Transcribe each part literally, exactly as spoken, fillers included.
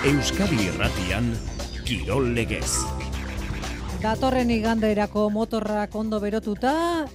Euskadi Irratian, Kirol Legez. Datorren iganderako motorrak ondo berotuta,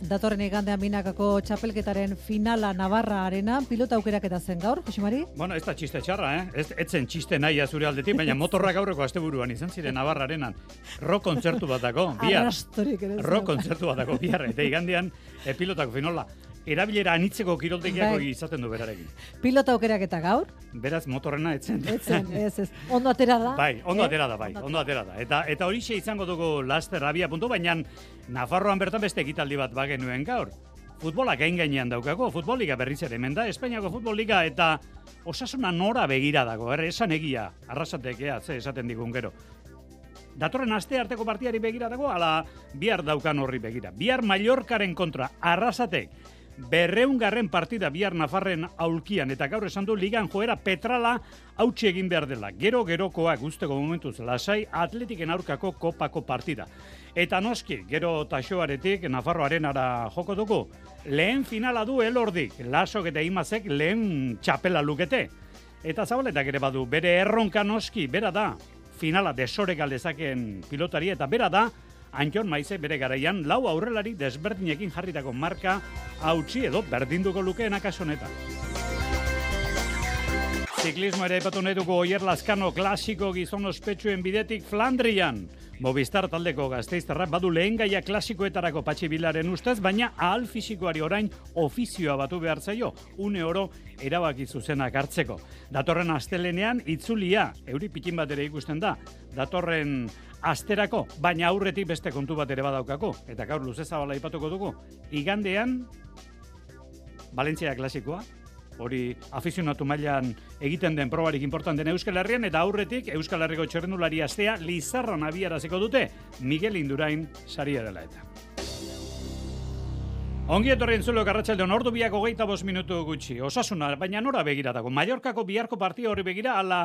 datorren igandean binakako txapelketaren finala Navarra arenan, pilota aukeraketa zen gaur, Jose Mari? Bueno, ez da txiste txarra, eh? Ez, etzen txiste nahia zure aldetik, baina motorrak aurreko asteburuan izan ziren Navarra arenan. Rock kontzertu batako, bihar. Arrastorik ere. Rock kontzertu batako, bihar. Eta igandean, e, pilotako finola. Erabilera anitzeko kiroltegiako Bai. izaten du berarekin. Pilota aukeraketa gaur? Beraz, motorrena etzen. Etzen, ez, ez. Ondo atera da? Bai, ondo eh? atera da, bai, ondo atera da. Eta, eta horixe izango dugu laster abia puntu, baina Nafarroan bertan beste ekitaldi bat bagenuen gaur. Futbola gain gainean daukako, futboliga berriz ere hemen da, Espainiako futboliga eta Osasuna nora begira dago, er, esan egia, arrasatekea, ze esaten digun gero. Datorren aste arteko partiari begira dago, ala bihar daukan horri begira. Bihar Mallorcaren kontra, Arrasatek, berreungarren partida bihar Nafarren aulkian, eta gaur esan du ligan joera Petrala hautsi egin behar dela. Gero gerokoak usteko momentuz lasai Atletiken aurkako kopako partida. Eta noski, gero taxoaretik Nafarroaren ara joko dugu. Lehen finala du Elordik, Lasok eta Imazek lehen txapela lukete. Eta Zabaletak ere badu, bere erronka noski, bera da, finala desorek aldezakeen pilotari, eta bera da, Antxon Maize bere garaian lau aurrelari desberdinekin jarritako marka hautsi edo berdinduko lukeen akaso honetan. Ziklismo ere epatu nahi dugu Oier Lazkano klasiko gizon ospetsuen bidetik Flandrian. Movistar taldeko Gasteiztarra badu lehen gaia klasikoetarako Patxi Bilaren ustez, baina ahal fisikoari orain ofizioa batu behar zaio, une oro erabaki zuzenak hartzeko. Datorren astelenean itzulia, euri pikin bat ere ikusten da, datorren asterako, baina aurretik beste kontu bat ere badaukako, eta gaur luze zabala ipatuko dugu. Igandean, Valentzia klasikoa, hori afizionatu mailan egiten den probarik importanten Euskal Herrian, eta aurretik Euskal Herriko txirrendulari astea Lizarran abiaraziko dute Miguel Indurain saria dela eta. Ongi etorri entzuleok arratsaldeon, ordu biak hogeita bost minutu gutxi. Osasuna, baina nora begira dago. Mallorcako biharko partia horri begira, ala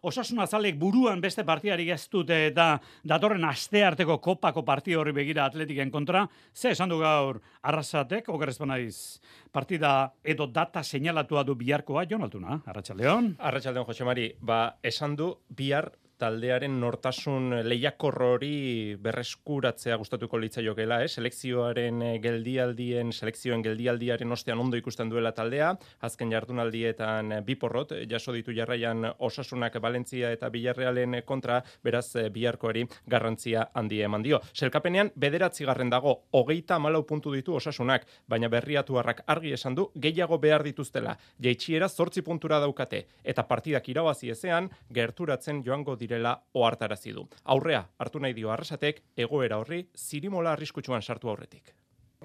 Osasuna zalek buruan beste partiari ez dute eta datorren astearteko kopako partia horri begira Atletiken kontra. Ze esan du gaur Arrasatek, okerrez banaiz, partida edo data seinalatua du biharkoa, Jon Altuna, arratsaldeon. Arratsaldeon, Jose Mari, ba, esan du bihar taldearen nortasun lehiakor hori berreskuratzea gustatuko litzaiokeela, eh? Selekzioaren geldialdien, selekzioen geldialdiaren ostean ondo ikusten duela taldea, azken jardunaldietan bi porrot jaso ditu jarraian Osasunak Valentzia eta Villarrealen kontra, beraz biharkoari garrantzia handia eman dio. Selkapenean bederatzigarren dago, hogeita hamalau puntu ditu Osasunak, baina Berriatuarrak argi esan du gehiago behar dituztela. Jaitsiera zortzi puntura daukate, eta partidak irabazi ezean gerturatzen joango direla ohartarazi du. Aurrea hartu nahi dio Arrasatek egoera horri zirimola arriskutsuan sartu aurretik.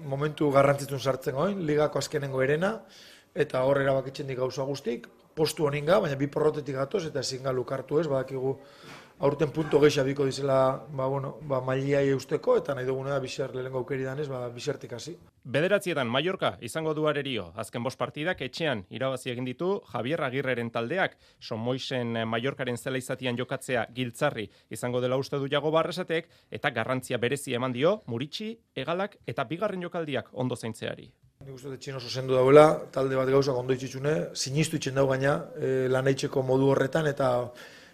Momentu garrantzitsuen sartzen goin, ligako azkenengo erena, eta hor erabakitzen dik gauza guztik, postu honinga, baina bi porrotetik gatoz, eta ezin ga lukartu ez, badakigu aurten punto gehiago biko dizela, ba, bueno, ba, mailiai eusteko, eta nahi duguna da biser lehenko aukeri danez, ba, bisertik hasi. Bederatzietan Mallorca izango du arerio. Azken bost partidak etxean irabazi egin ditu Javier Agirreren taldeak. Somoisen Mallorcaren zela izatian jokatzea giltzarri izango dela uste du Jago Arrasatek, eta garrantzia berezi eman dio Muritxi, Egalak eta bigarren jokaldiak ondo zaintzeari. Nik uste dut oso zendu dauela, talde bat gauzak ondo itxitsune, sinistu itxen dau gaina, e, lan eitzeko modu horretan, eta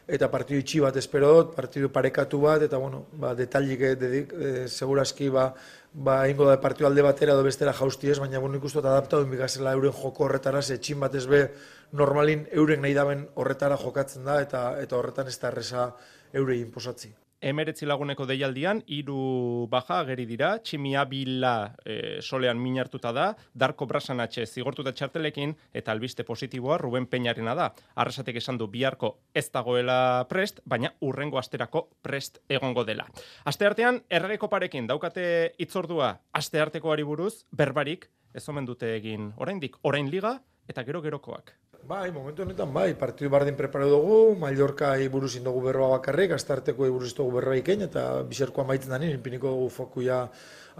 eta partidu itxi bat espero dut, partidu parekatu bat, eta bueno, ba, detailik dedik, e, segurazki ba, ba, ingo da partidu alde batera edo bestera jausti ez, baina bueno, ikustu eta adaptatu inbigazela euren joko horretara, ze etxin bat ez be normalin euren nahi daben horretara jokatzen da, eta eta horretan ez da erreza eurei inposatzi. Emeretzi laguneko deialdian, hiru baja ageri dira, Tximi Abila e, solean minartuta da, Darko Brasanatxe zigortuta txartelekin, eta albiste positiboa Ruben Peñarena da. Arrasatek esan du biharko ez dagoela prest, baina urrengo asterako prest egongo dela. Asteartean, erregeko parekin daukate itzordua asteartekoari buruz, berbarik, ez omen dute egin oraindik, orain liga eta gero-gerokoak. Bai, momentu honetan bai, partidu bardin preparo dugu, Mallorcai buruz indogu berroa bakarrik, astearteko buruz indogu berroa ikein, eta bizerkoa maitzen da nien, piniko dugu fokuia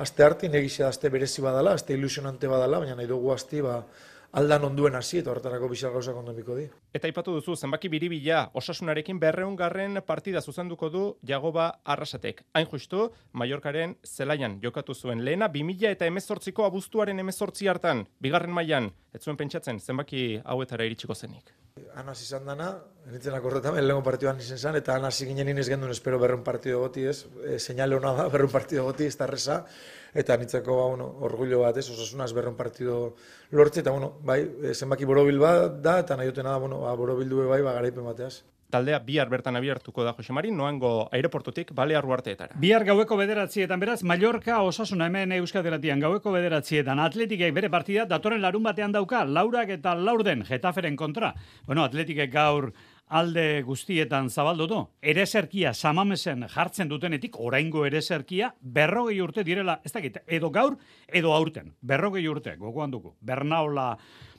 aste hartin, egizia aste berezi badala, aste ilusionante badala, baina nahi dugu asti, ba, aldan onduen hasi eta horretarako bizar gauzak ondo biko di. Eta aipatu duzu, zenbaki biribila Osasunarekin berrehungarren partida zuzenduko du Jagoba Arrasatek. Hain justu, Mallorcaren zelaian jokatu zuen lehena, bi mila eta hemezortziko abuztuaren hemezortzi hartan, bigarren mailan, ez zuen pentsatzen zenbaki hauetara iritsiko zenik. anaz izan dana, nintzen akordetan, lehenko partioan izen zen, eta anaz ginen inez gendun espero berrun partido goti ez, e, seinale hona da, berrun partido goti, ez da reza, eta nintzeko ba, bueno, orgullo bat ez, osasunaz berrun partido lortze, eta bueno, bai, zenbaki borobil bat da, eta nahi dutena da, bueno, ba, borobildu bai, ba, garaipen bateaz. Taldea bihar bertan abiartuko da Jose Mari, noango aireportutik Balear Uharteetara. Bihar gaueko bederatzietan beraz, Mallorca Osasuna hemen Euskadi Irratian gaueko bederatzietan Atletikek bere partida datorren larun batean dauka, Laurak eta Laurden Getaferen kontra. Bueno, Atletikek gaur alde guztietan zabaldu du. Ereserkia Samamesen jartzen dutenetik, oraingo ereserkia, berrogei urte direla, ez dakit, edo gaur, edo aurten. Berrogei urte, gogoan dugu. Bernaola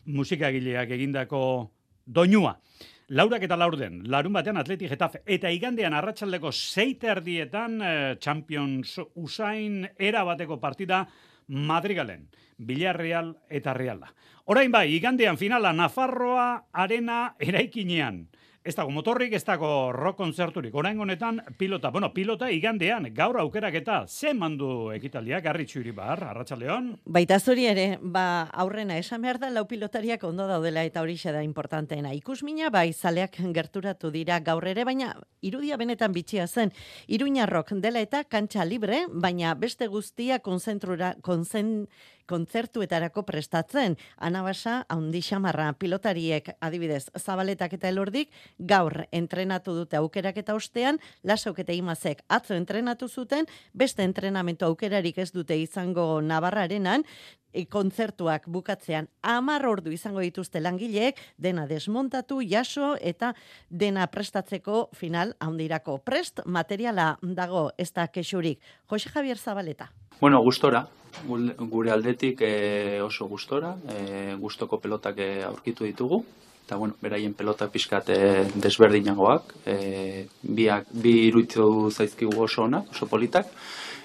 musikagileak egindako doinua. Laurak eta Laurden, larun batean Atleti Getafe, eta igandean arratsaldeko seite erdietan eh, Champions Usain era bateko partida Madrigalen, Villarreal eta Reala. Orain bai, igandean finala Nafarroa Arena eraikinean. Ez dago motorrik, ez dago rock konzerturik. Orain honetan pilota, bueno, pilota igandean, gaur aukeraketa, ze mandu ekitaldiak, Garritxu Iribar, Arratsaldeon. Baita zuri ere, ba, aurrena esan behar da, lau pilotariak ondo daudela eta horixe da importanteena. Ikusmina, bai, zaleak gerturatu dira gaur ere, baina irudia benetan bitxia zen. Iruñarrok dela eta kantxa libre, baina beste guztia konzentrura, konzen, kontzertuetarako prestatzen. Anabasa, haundi xamarra, pilotariek adibidez Zabaletak eta Elordik, gaur entrenatu dute aukerak eta ostean, Lasauk eta Imazek atzo entrenatu zuten, beste entrenamentu aukerarik ez dute izango Navarrarenan, e, kontzertuak bukatzean hamar ordu izango dituzte langileek, dena desmontatu, jaso eta dena prestatzeko final handirako. Prest materiala dago ez da kexurik. Jose Javier Zabaleta. Bueno, gustora, gure aldetik e, oso gustora, e, gustoko pelotak e, aurkitu ditugu, eta bueno, beraien pelota pixkat e, desberdinagoak, e, biak, bi iruditu zaizkigu oso ona, oso politak,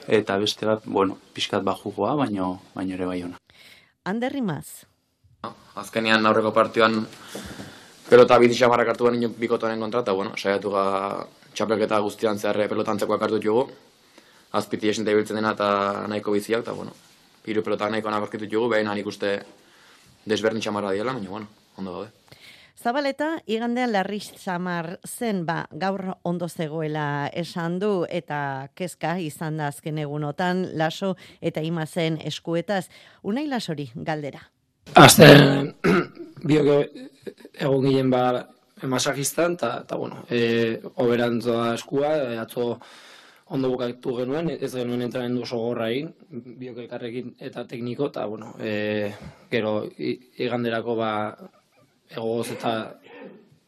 eta beste bat, bueno, pixkat bajugoa, baino, baino ere bai ona. Ander Rimaz. Azkenean aurreko partioan pelota biti xamarrak hartu garen bikotoren kontra, eta bueno, saiatu ga txapelketa guztian zehar pelotantzekoak hartu dugu, azpiti esente ibiltzen dena eta nahiko biziak, eta bueno, hiru pelotak nahiko nabarkitu dugu, behin nik uste desberdin xamarra diela, baina bueno, ondo gaude. Zabaleta, igandean larri xamar zen, ba, gaur ondo zegoela esan du, eta kezka izan da azken egunotan, Laso eta Imazen eskuetaz. Unai Lasori, galdera. Azten, biok egon ginen ba masajistan, eta bueno, e, oberantzoa eskua, e, atzo ondo bukatu genuen, ez genuen entrenamendu oso gorra egin, biok elkarrekin eta tekniko, eta bueno, e, gero iganderako ba egoz eta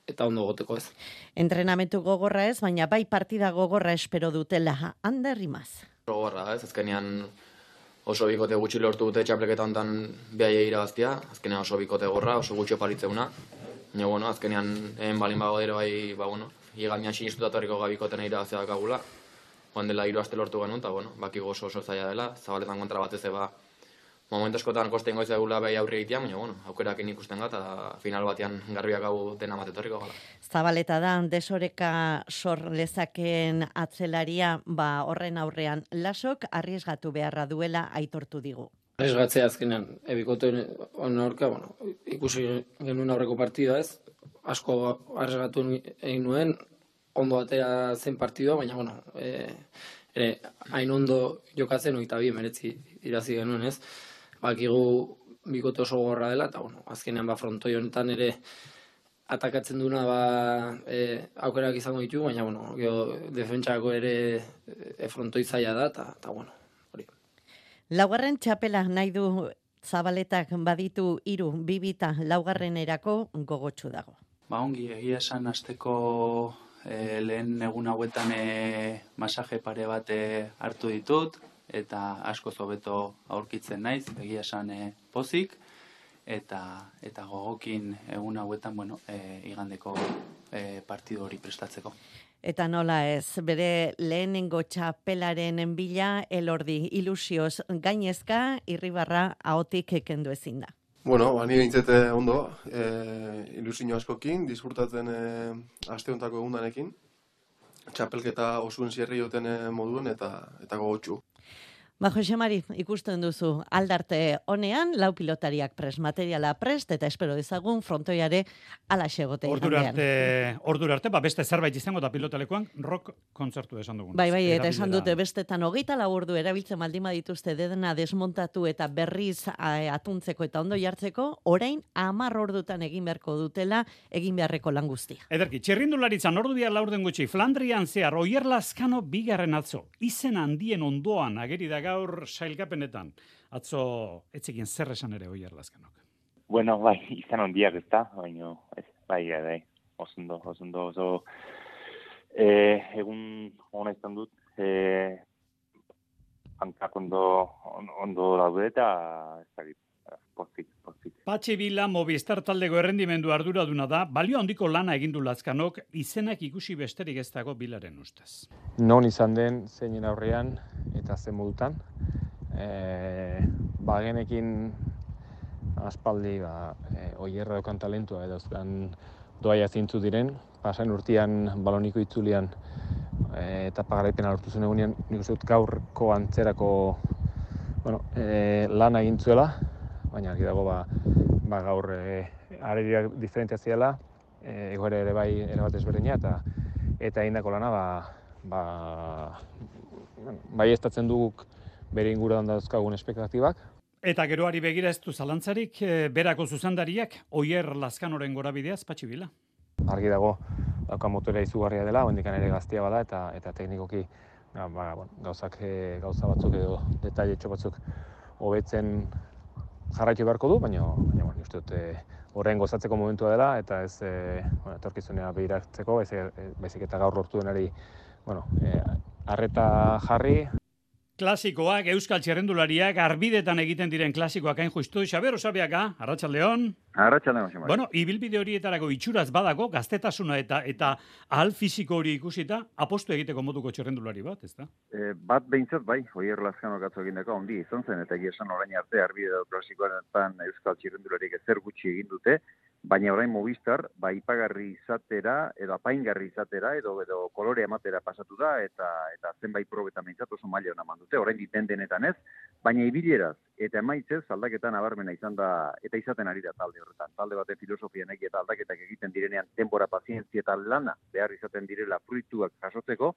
eta ondo goteko ez. Entrenamentu gogorra ez, baina bai partida gogorra espero dutela. Ander Rimaz. Gogorra ez, azkenean oso bikote gutxi lortu dute txapleketa honetan behaiei irabaztia, azkenean oso bikote gorra, oso gutxi opalitzeuna. Baina, bueno, azkenean egin balin bago dira bai, ba, bueno, igandean sinistuta torriko gabikoten irabazia dakagula. Joan dela hiru aste lortu genuen, eta, bueno, bakigu oso oso zaila dela, Zabaletan kontra batez eba, momentu askotan koste ingoiz egula behi aurri egitea, baina, bueno, aukerakin ikusten gata, eta final batean garbiak hau dena matetorriko gala. Zabaleta da, desoreka sor lezakeen atzelaria, ba, horren aurrean, Lasok arriesgatu beharra duela aitortu digu. Arriesgatzea azkenean, ebikoten aurka, bueno, ikusi genuen aurreko partida ez, asko arriesgatu egin nuen, ondo atera zen partidua, baina, bueno, e, ere, hain ondo jokatzen oita bi meretzi irazi genuen ez, bakigu bikote oso gorra dela, eta, bueno, azkenean ba frontoi honetan ere atakatzen duna ba e, aukerak izango ditu, baina, bueno, gero defentsako ere e, frontoi zaila da, eta, eta bueno, hori. Laugarren txapela nahi du Zabaletak baditu hiru bibita laugarrenerako gogotsu dago. Ba ongi, egia esan asteko e, lehen egun hauetan e, masaje pare bat e, hartu ditut, eta asko hobeto aurkitzen naiz, egia esan e, pozik, eta eta gogokin egun hauetan, bueno, e, igandeko e, partidu hori prestatzeko. Eta nola ez, bere lehenengo txapelaren bila Elordi ilusioz gainezka Irribarra ahotik kendu ezin da. Bueno, ba, ni behintzete ondo, e, ilusio askokin, disfrutatzen e, aste hontako egundanekin, txapelketa osuen zierri joten moduen eta eta gogotsu. Ba, Jose Mari, ikusten duzu aldarte honean, lau pilotariak prest, materiala prest, eta espero dezagun frontoiare ala xegote Ordura arte, ordura arte, ba, beste zerbait izango da pilotalekoan, rock kontzertu esan dugun. Bai, bai, eta esan dute bestetan hogeita lau ordu erabiltzen baldin badituzte dedena desmontatu eta berriz atuntzeko eta ondo jartzeko, orain hamar ordutan egin beharko dutela, egin beharreko lan guztia. Ederki, txirrindularitzan ordu bihar laurden gutxi, Flandrian zehar, Oier Lazkano bigarren atzo, izen handien ondoan ageri da gaur sailkapenetan. Atzo, etzekin zer esan ere Oier Lazkanok. Bueno, bai, izan handiak ez da, baina, ez, bai, bai, osondo, osondo, oso, eh, egun hona izan dut, eh, hankak ondo, ondo daude eta, ez dakit, pozik, pozik. Patxi Bila Movistar taldeko errendimendu arduraduna da, balio handiko lana egindu Lazkanok, izenak ikusi besterik ez dago Bilaren ustez. Non izan den, zeinen aurrean, eta zen modutan. E, bagenekin aspaldi, ba, e, Oierra daukan talentua, edo zuen doaia zintzu diren, pasain urtean baloniko itzulian e, eta pagaraipena lortu zen egunean, nik uste dut gaurko antzerako bueno, e, lana egin zuela, baina argi dago ba, ba gaur e, arediak diferentzia ziela, e, egoera ere bai erabat ezberdina, eta eta egindako lana ba, ba, bai estatzen duguk bere inguruan dauzkagun espektatibak. Eta geroari begira ez du zalantzarik, e, berako zuzendariak, Oier Lazkanoren gorabideaz, Patxi Bila. Argi dago, dauka motorea izugarria dela, hendikan ere gaztia bada, eta eta teknikoki ba, ba, bueno, gauzak, e, gauza batzuk edo detailetxo batzuk hobetzen jarraitu beharko du, baina, baina bueno, uste dut e, horren gozatzeko momentua dela, eta ez e, bueno, etorkizunea behiratzeko, baizik eta gaur lortu denari bueno, e, arreta jarri. Klasikoak, euskal txerrendulariak, arbidetan egiten diren klasikoak hain justu. Xaber Osabiaga, Arratsaldeon. Arratsaldeon, Xaber. Bueno, ibilbide horietarako itxuraz badago, gaztetasuna eta eta ahal fisiko hori ikusita, apostu egiteko moduko txerrendulari bat, ez da? E, bat behintzat bai, Oier Lazkanok atzo egindako handi izan zen, eta egia esan orain arte arbide klasikoaretan euskal txerrendulariek ezer gutxi egin dute, baina orain Movistar, ba, ipagarri izatera, edo apaingarri izatera, edo, edo kolore ematera pasatu da, eta eta zenbait probetan behintzat oso maila hona mandute, orain diten denetan ez, baina ibileraz eta emaitzez aldaketan nabarmena izan da, eta izaten ari da talde horretan. Talde baten filosofia nahi eta aldaketak egiten direnean denbora, pazientzia eta lana behar izaten direla fruituak jasotzeko,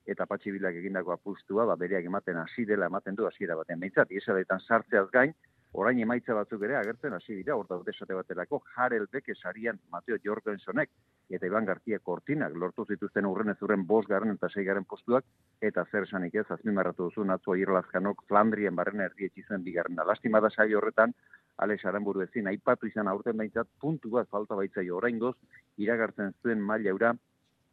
eta Patxi Bilak egindako apustua, ba, bereak ematen hasi dela, ematen du hasiera baten behintzat, iesaletan sartzeaz gain, orain emaitza batzuk ere agertzen hasi dira, hor daude esate baterako, Harel Beke sarian Mateo Jorgensonek eta Iban García Cortinak lortu zituzten urrenez urren bost garren eta sei garren postuak, eta zer esanik ez, azpimarratu duzu atzo Oier Lazkanok Flandrien barrena erdietsi zuen bigarrena. Lastima da saio horretan, Alex Aranburu ezin, aipatu izan aurten behintzat, puntu bat falta baitzaio oraingoz, iragartzen zuen maila eura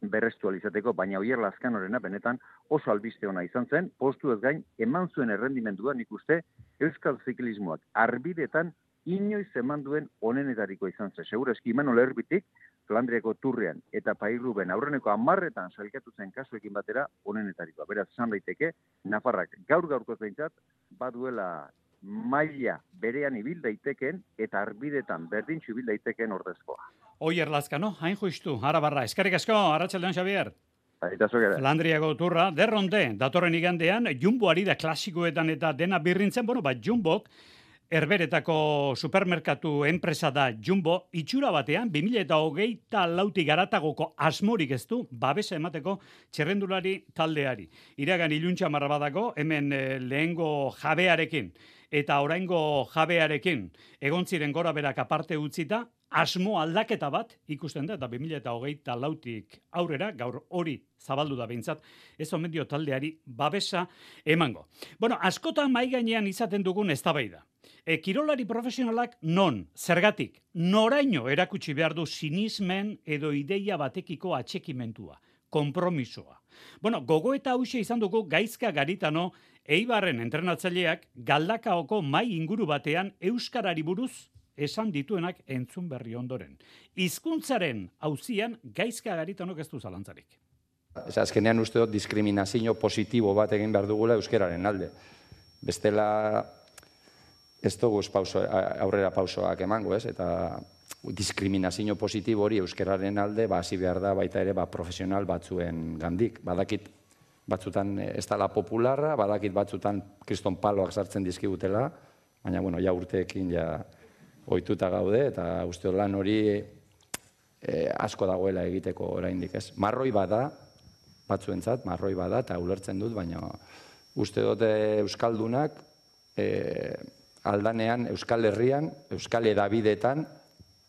berrestu alizateko, baina Oier Lazkanorena benetan oso albiste ona izan zen, postu ez gain, eman zuen errendimendua nik uste euskal ziklismoak arbidetan inoiz eman duen onenetariko izan zen. Segura eski Imanol Erbitik, Flandriako turrean eta Pairruben aurreneko hamarretan sailkatu zen kasuekin batera onenetarikoa. Beraz, esan daiteke, Nafarrak gaur gaurkoz behintzat, baduela maila berean ibil daiteken eta arbidetan berdintxu ibil daiteken ordezkoa. Oier Lazkano, hain justu, Arabarra, eskerrik asko, Arratsaldeon Xabier. Aitazok ere. Flandriako turra, derronte, datorren igandean, Jumbo ari da klasikoetan eta dena birrintzen, bueno, bat Jumbok, Herberetako supermerkatu enpresa da Jumbo, itxura batean, bi mila hogeita lautik garatagoko asmorik ez du, babesa emateko txerrendulari taldeari. Iragan iluntza marra badako, hemen eh, lehengo jabearekin, eta oraingo jabearekin, egon ziren gora berak aparte utzita, asmo aldaketa bat ikusten da, eta bi mila hogeita lautik aurrera, gaur hori zabaldu da behintzat, ez omen dio taldeari babesa emango. Bueno, askotan mai gainean izaten dugun eztabaida. E, kirolari profesionalak non, zergatik, noraino erakutsi behar du sinismen edo ideia batekiko atxekimentua, konpromisoa. Bueno, gogoeta hauxe izan dugu Gaizka Garitano, Eibarren entrenatzaileak Galdakaoko mai inguru batean euskarari buruz esan dituenak entzun berri ondoren. Hizkuntzaren auzian Gaizka Garitanok ez du zalantzarik. Ez azkenean uste dut diskriminazio positibo bat egin behar dugula euskararen alde. Bestela ez dugu pauso, aurrera pausoak emango, ez? Eta diskriminazio positibo hori euskararen alde ba hasi behar da baita ere ba profesional batzuen gandik. Badakit batzutan ez dala popularra, badakit batzutan kriston paloak sartzen dizkigutela, baina, bueno, ja urteekin ja ohituta gaude, eta uste dut lan hori eh, asko dagoela egiteko oraindik, ez? Marroi bada, batzuentzat, marroi bada, eta ulertzen dut, baina uste dut euskaldunak eh, aldanean, Euskal Herrian, Euskal Hedabideetan,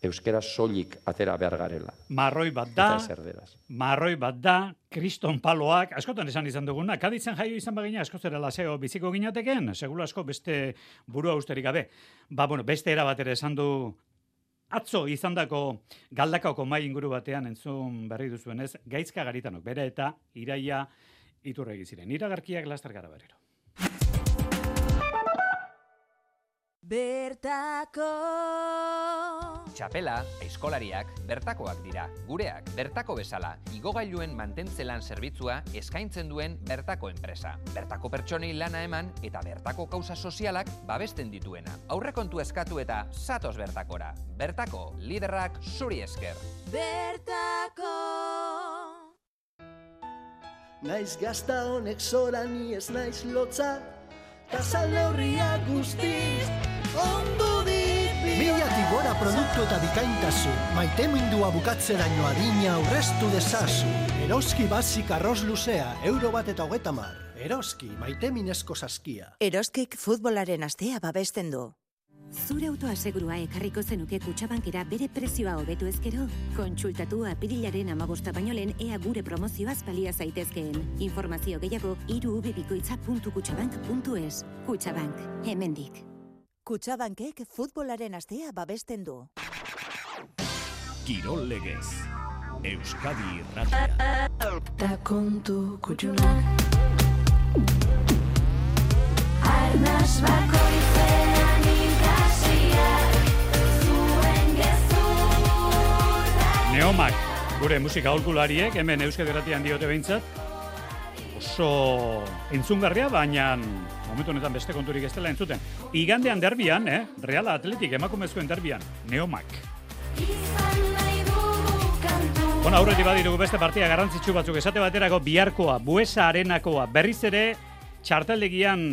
euskera soilik atera behar garela. Marroi bat da, Eta ez erderaz. marroi bat da, kriston paloak, askotan esan izan duguna, Kaditzen jaio izan bagina, asko zera laseo biziko ginateken, segula asko beste burua usterik gabe. Ba, bueno, beste era bat ere esan du, atzo izandako Galdakaoko mai inguru batean entzun berri duzuenez, Gaizka Garitanok, bere eta Iraia Iturregi ziren. Iragarkiak laster gara berriro. Bertako Txapela, aizkolariak, bertakoak dira. Gureak, bertako bezala, igogailuen mantentzelan zerbitzua eskaintzen duen bertako enpresa. Bertako pertsonei lana eman eta bertako kausa sozialak babesten dituena. Aurrekontu eskatu eta zatoz bertakora. Bertako, liderrak zuri esker. Bertako Naiz gazta honek zora ni ez naiz lotza, tasal neurriak guztiz ondo dipi. Milatik gora produktu eta bikaintasun, maitemindua bukatzeraino adina aurreztu dezazu. Eroski basik arroz luzea, euro bat eta hogeta mar. Eroski, maiteminezko saskia. Eroskik futbolaren astea babesten du. Zure autoa segurua ekarriko zenuke Kutxabankera bere prezioa hobetu ezkero? Kontsultatu apirilaren hamabosta baino lehen ea gure promozioaz balia zaitezkeen. Informazio gehiago hiru bikoitza puntu kutxabank puntu es. Kutxabank, hemendik. Kutxabankek futbolaren astea babesten du. Kirol legez. Euskadi Irratia. Da kontu kutxunak Arnaz bakoitzean ikasiak Zuen gezurra Neomak, gure musika aholkulariek, hemen Euskadi Irratian diote behintzat, oso entzungarria, baina momentu honetan beste konturik ez dela entzuten. Igandean derbian, eh? Real Atletik emakumezkoen derbian, Neomak. Bueno, aurretik badirugu beste partia garrantzitsu batzuk esate baterako biharkoa, Buesa Arenakoa, berriz ere txarteldegian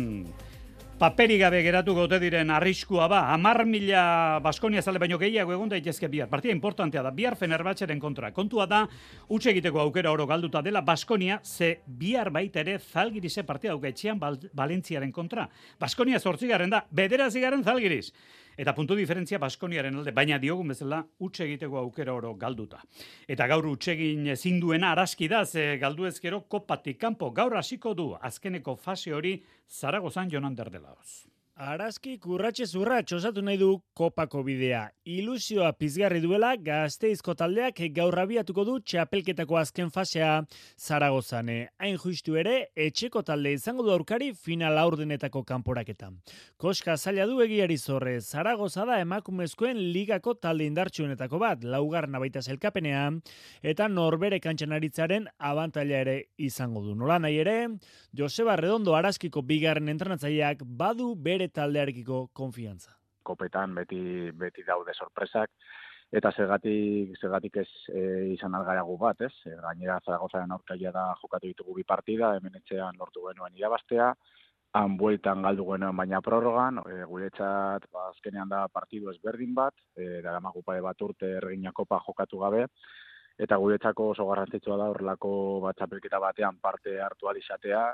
paperi gabe geratuko ote diren arriskua ba, hamar mila Baskonia zale baino gehiago egon daitezke bihar. Partida importantea da, bihar Fenerbahçeren kontra. Kontua da, utxe egiteko aukera oro galduta dela Baskonia, ze bihar baita ere Zalgirize partida dauka etxean Valentziaren kontra. Baskonia zortzigarren da, bederatzigarren Zalgiriz. Eta puntu diferentzia Baskoniaren alde, baina diogun bezala utxe egiteko aukera oro galduta. Eta gaur utxe egin ezin duena araski da, ze galdu ezkero kopatik kanpo. Gaur hasiko du azkeneko fase hori Zaragozan Jonan Derdelaoz. Araski kurratxe zurratx osatu nahi du kopako bidea. Ilusioa pizgarri duela Gasteizko taldeak gaur abiatuko du txapelketako azken fasea Zaragozan. Hain justu ere, etxeko talde izango du aurkari final aurdenetako kanporaketan. Koska zaila du egiari zorre, Zaragoza da emakumezkoen ligako talde indartsuenetako bat, laugarren baita sailkapenean, eta norbere kantxan aritzaren abantaila ere izango du. Nola nahi ere, Joseba Redondo Araskiko bigarren entrenatzaileak badu bere taldearekiko konfiantza. Kopetan beti beti daude sorpresak eta zergatik zergatik ez e, izan algaragu bat, ez? E, gainera Zaragozaren aurkaria da jokatu ditugu bi partida, hemen etxean lortu genuen irabaztea, han bueltan galdu genuen baina prorrogan, e, guretzat ba, azkenean da partidu ezberdin bat, e, daramagu pare bat urte Erregina Kopa jokatu gabe, eta guretzako oso garrantzitsua da horrelako bat txapelketa batean parte hartu ahal izatea.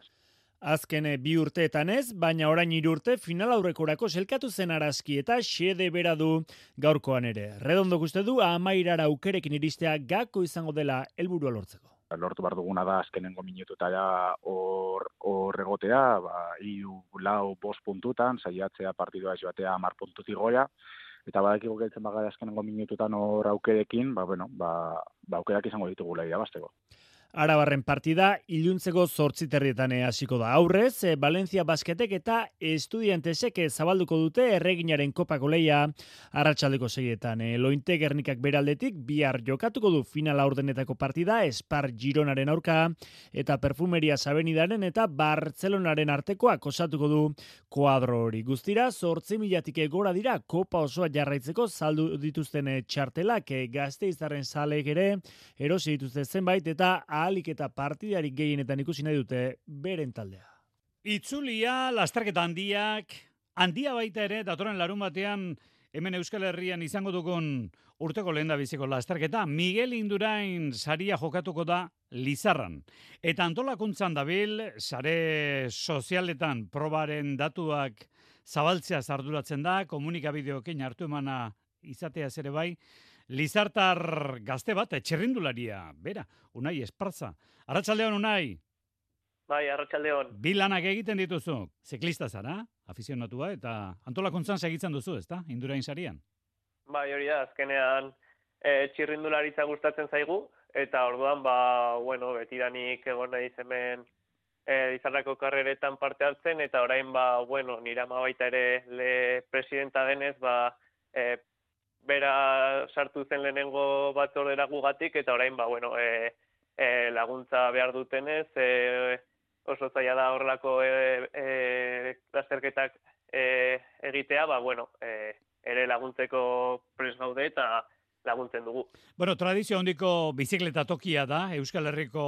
Azken bi urteetan ez, baina orain hiru urte final aurrekorako selkatu zen Araski eta xede bera du gaurkoan ere. Redondo uste du amairara aukerekin iristea gako izango dela helburua lortzeko. Lortu behar duguna da azkenengo minututara hor hor egotea, ba, hiru, lau, bost puntutan, saiatzea partidua joatea hamar puntutik gora, eta badakigu geltzen bagara azkenengo minututan hor aukerekin, ba, bueno, ba, ba aukerak izango ditugula irabazteko. Arabarren partida iluntzeko zortzi terrietan hasiko da. Aurrez, Valencia Basketek eta Estudiantesek zabalduko dute Erreginaren kopako leia arratsaldeko seietan. Lointe Gernikak beraldetik bihar jokatuko du final aurdenetako partida Espar Gironaren aurka eta Perfumeria Avenidaren eta Bartzelonaren artekoak osatuko du kuadro hori. Guztira, zortzi milatik gora dira kopa osoa jarraitzeko saldu dituzten txartelak Gasteiztarren zaleek ere erosi dituzte zenbait eta ahalik eta partidarik gehienetan ikusi nahi dute beren taldea. Itzulia, lasterketa handiak, handia baita ere, datorren larun batean, hemen Euskal Herrian izango dugun urteko lehendabiziko lasterketa, Miguel Indurain saria jokatuko da Lizarran. Eta antolakuntzan dabil, sare sozialetan probaren datuak zabaltzea arduratzen da, komunikabideokin hartu emana izatea ere bai, Lizartar gazte bat, txirrindularia, bera, Unai Esparza. Arratsaldeon Unai. Bai, arratsaldeon. Bi lanak egiten dituzu, ziklista zara, afizionatua, eta antolakuntzan segitzen duzu, ezta? Indurain sarian. Bai, hori da, azkenean e, txirrindularitza gustatzen zaigu, eta orduan, ba, bueno, betidanik egon naiz hemen e, Lizarrako karreretan parte hartzen, eta orain, ba, bueno, nire ama baita ere le presidenta denez, ba, e, bera sartu zen lehenengo batzordera gugatik, eta orain, ba, bueno, e, e, laguntza behar dutenez, e, oso zaila da horrelako e, e, lasterketak e, egitea, ba, bueno, e, ere laguntzeko prest gaude eta laguntzen dugu. Bueno, tradizio handiko bizikleta tokia da, Euskal Herriko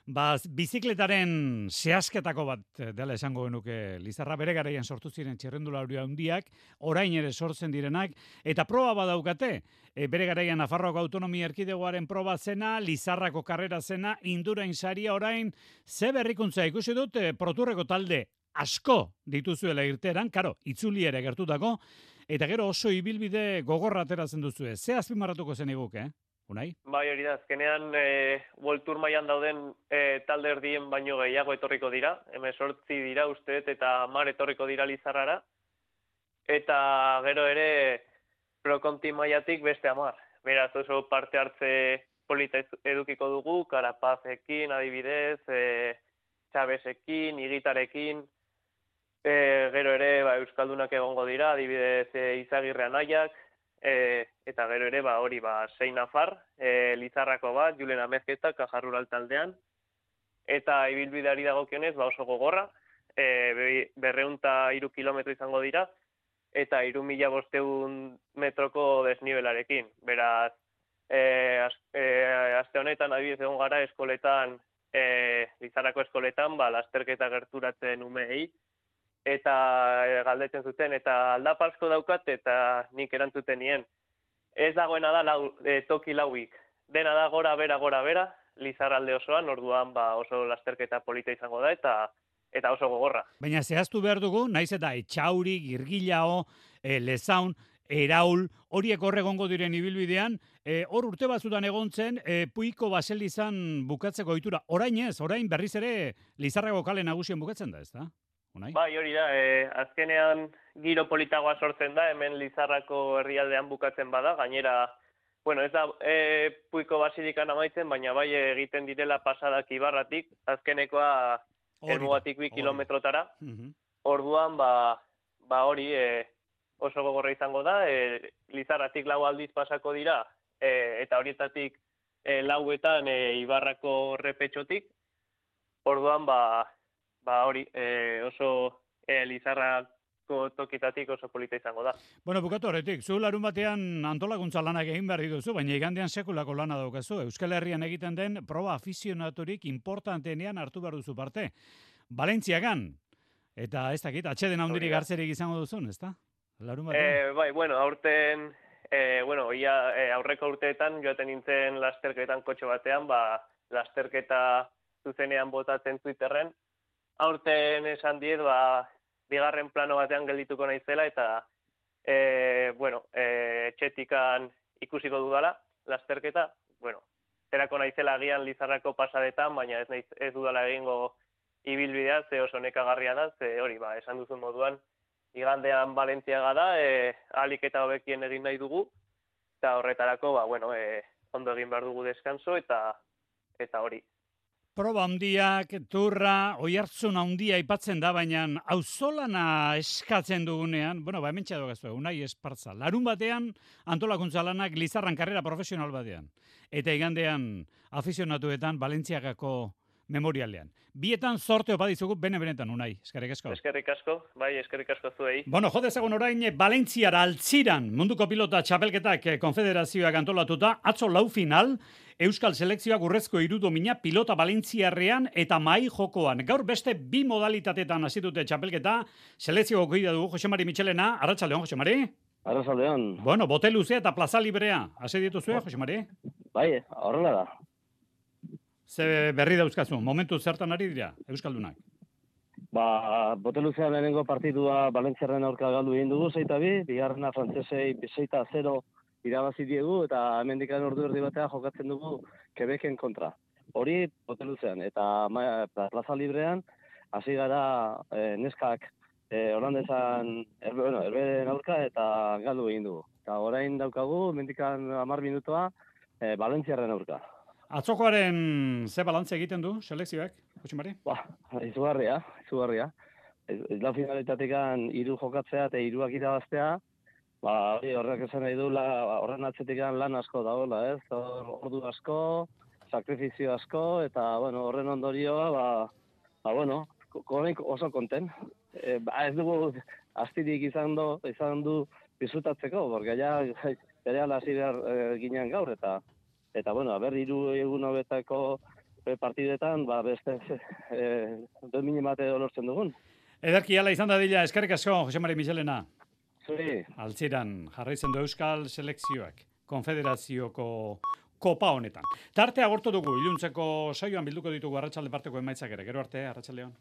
ba, bizikletaren zehazketako bat dela esango genuke Lizarra, bere garaian sortu ziren txirrindulari handiak, orain ere sortzen direnak, eta proba badaukate, e, bere garaian Nafarroako autonomia erkidegoaren proba zena, Lizarrako karrera zena, Indurain saria orain, ze berrikuntza ikusi dut, e, proturreko talde asko dituzuela irteran, karo, itzuli ere gertutako, eta gero oso ibilbide gogorra ateratzen duzue. Ze azpimarratuko zen eguke, eh? Unai? Bai, hori da, azkenean e, World Tour mailan dauden e, talde erdien baino gehiago etorriko dira, hemezortzi dira usteet eta hamar etorriko dira Lizarrara, eta gero ere Pro Conti mailatik beste hamar. Beraz, oso parte hartze polita edukiko dugu, Karapazekin adibidez, e, Txabesekin, Igitarekin, e, gero ere ba, Euskaldunak egongo dira, adibidez e, Izagirre Anaiak, E, eta gero ere, ba, hori, ba, sei Nafar, e, Lizarrako bat, Julen Amezketa, Kajarrural taldean, eta ibilbideari dagokionez, ba, oso gogorra, e, berreunta iru kilometro izango dira, eta iru mila bosteun metroko desnibelarekin. Beraz, e, az, e, aste honetan, adibidez egon gara, eskoletan, e, Lizarrako eskoletan, ba, lasterketa gerturatzen umei, eta galdetzen zuten, eta aldapazko daukat, eta nik erantzuten nien. Ez dagoena da lau, e, toki lauik. Dena da gora bera, gora bera, Lizarralde osoan, orduan ba, oso lasterketa polita izango da, eta eta oso gogorra. Baina zehaztu behar dugu, naiz eta Etxauri, Girgilao, e, Lezaun, Eraul, horiek horregongo diren ibilbidean, e, hor urte batzutan egontzen, e, Puiko Baselizan bukatzeko ohitura. Orain ez, orain berriz ere Lizarrako kale nagusien bukatzen da, ez da? Unai? Bai, hori da, e, azkenean giro politagoa sortzen da, hemen Lizarrako herrialdean bukatzen bada, gainera, bueno, ez da e, Puiko Basilikan amaitzen, baina bai egiten direla pasadak Ibarratik, azkenekoa helmugatik bi kilometrotara, orduan, ba, ba hori e, oso gogorra izango da, e, Lizarratik lau aldiz pasako dira, e, eta horietatik e, lauetan e, Ibarrako repetxotik, orduan, ba, Ba hori, e, oso e, Lizarrako tokitatik oso polita izango da. Bueno, bukatu horretik, zu larun batean antolakuntza lanak egin behar dituzu, baina igandean sekulako lana daukazu. Euskal Herrian egiten den proba afizionaturik importanteenean hartu behar duzu parte. Valentziagan, eta ez dakit, atxeden handirik hartzerik izango duzun, ez da? Larun batean? E, bai, bueno, aurten, e, bueno, ia, e, aurreko urteetan joaten nintzen lasterketan kotxe batean, ba, lasterketa zuzenean botatzen Twitterren, aurten esan diet, ba, bigarren plano batean geldituko naizela eta, e, bueno, e, txetikan ikusiko dudala, lasterketa, bueno, zerako naizela agian Lizarrako pasadetan, baina ez, naiz, ez dudala egingo ibilbidea, ze oso nekagarria da, ze hori, ba, esan duzun moduan, igandean Valentziaga da, e, ahalik eta hobekien egin nahi dugu, eta horretarako, ba, bueno, e, ondo egin behar dugu deskanso, eta eta hori. Proba handiak, turra, oihartzun handia aipatzen da, baina auzolana eskatzen dugunean, bueno, ba, hemen txadogazu, Unai Esparza, larun batean antolakuntza lanak Lizarran karrera profesional batean. Eta igandean afizionatuetan Valentziagako memorialean. Bietan sorte opa dizugu bene-benetan, Unai. Eskerrik asko. Eskerrik asko, bai, eskerrik asko zuei. Bueno, jo dezagun orain Valentziara altziran munduko pilota txapelketak konfederazioak antolatuta, atzo lau final, Euskal Selekzioak urrezko irudomina pilota Valentziarrean eta mai jokoan. Gaur beste bi modalitatetan hasi dute txapelketa, selekzioko kidea dugu Jose Mari Michelena. Arratsaldeon, Jose Mari. Arratsaldeon. Bueno, bote luzea eta plaza librea. Hasi dituzue, Jose Mari? Bai, horrela da. Ze berri dauzkazu, momentu zertan ari dira, Euskaldunak? Ba, bote luzean lehenengo partidua Valentziarren aurka galdu egin dugu, zeita bi, bigarrena frantzesei zeita zero irabazi diegu, eta hemendikan ordu erdi batea jokatzen dugu Quebecen kontra. Hori bote luzean, eta ma, plaza librean, hasi gara e, neskak e, holandesan erbe, bueno, erberen aurka eta galdu egin dugu. Eta orain daukagu, hemendikan hamar minutoa, e, Valentziarren aurka. Atzokoaren ze balantze egiten du selekzioak, Jose Mari? Ba, izugarria, izugarria. Isla finalitatikan hiru jokatzea eta hiruak irabaztea, ba, hori horrek esan nahi du, la, horren atzetikan lan asko dagoela, ez? Ordu asko, sakrifizio asko, eta, bueno, horren ondorioa, ba, ba bueno, konik oso konten. E, ba, ez dugu astirik izan du, izan du bizutatzeko, porque ja, bere hasi behar e, ginen gaur, eta Eta, bueno, aber, hiru egun hobetako partidetan, ba, beste, eh, domini mate lortzen dugun. Ederki ala izan da dila, eskerrik asko, Jose Mari Michelena. Zuri. Altziran, jarraitzen du Euskal Selekzioak, konfederazioko kopa honetan. Tarte agortu dugu, iluntzeko saioan bilduko ditugu arratsalde parteko emaitzak ere, gero arte, arratsaldeon.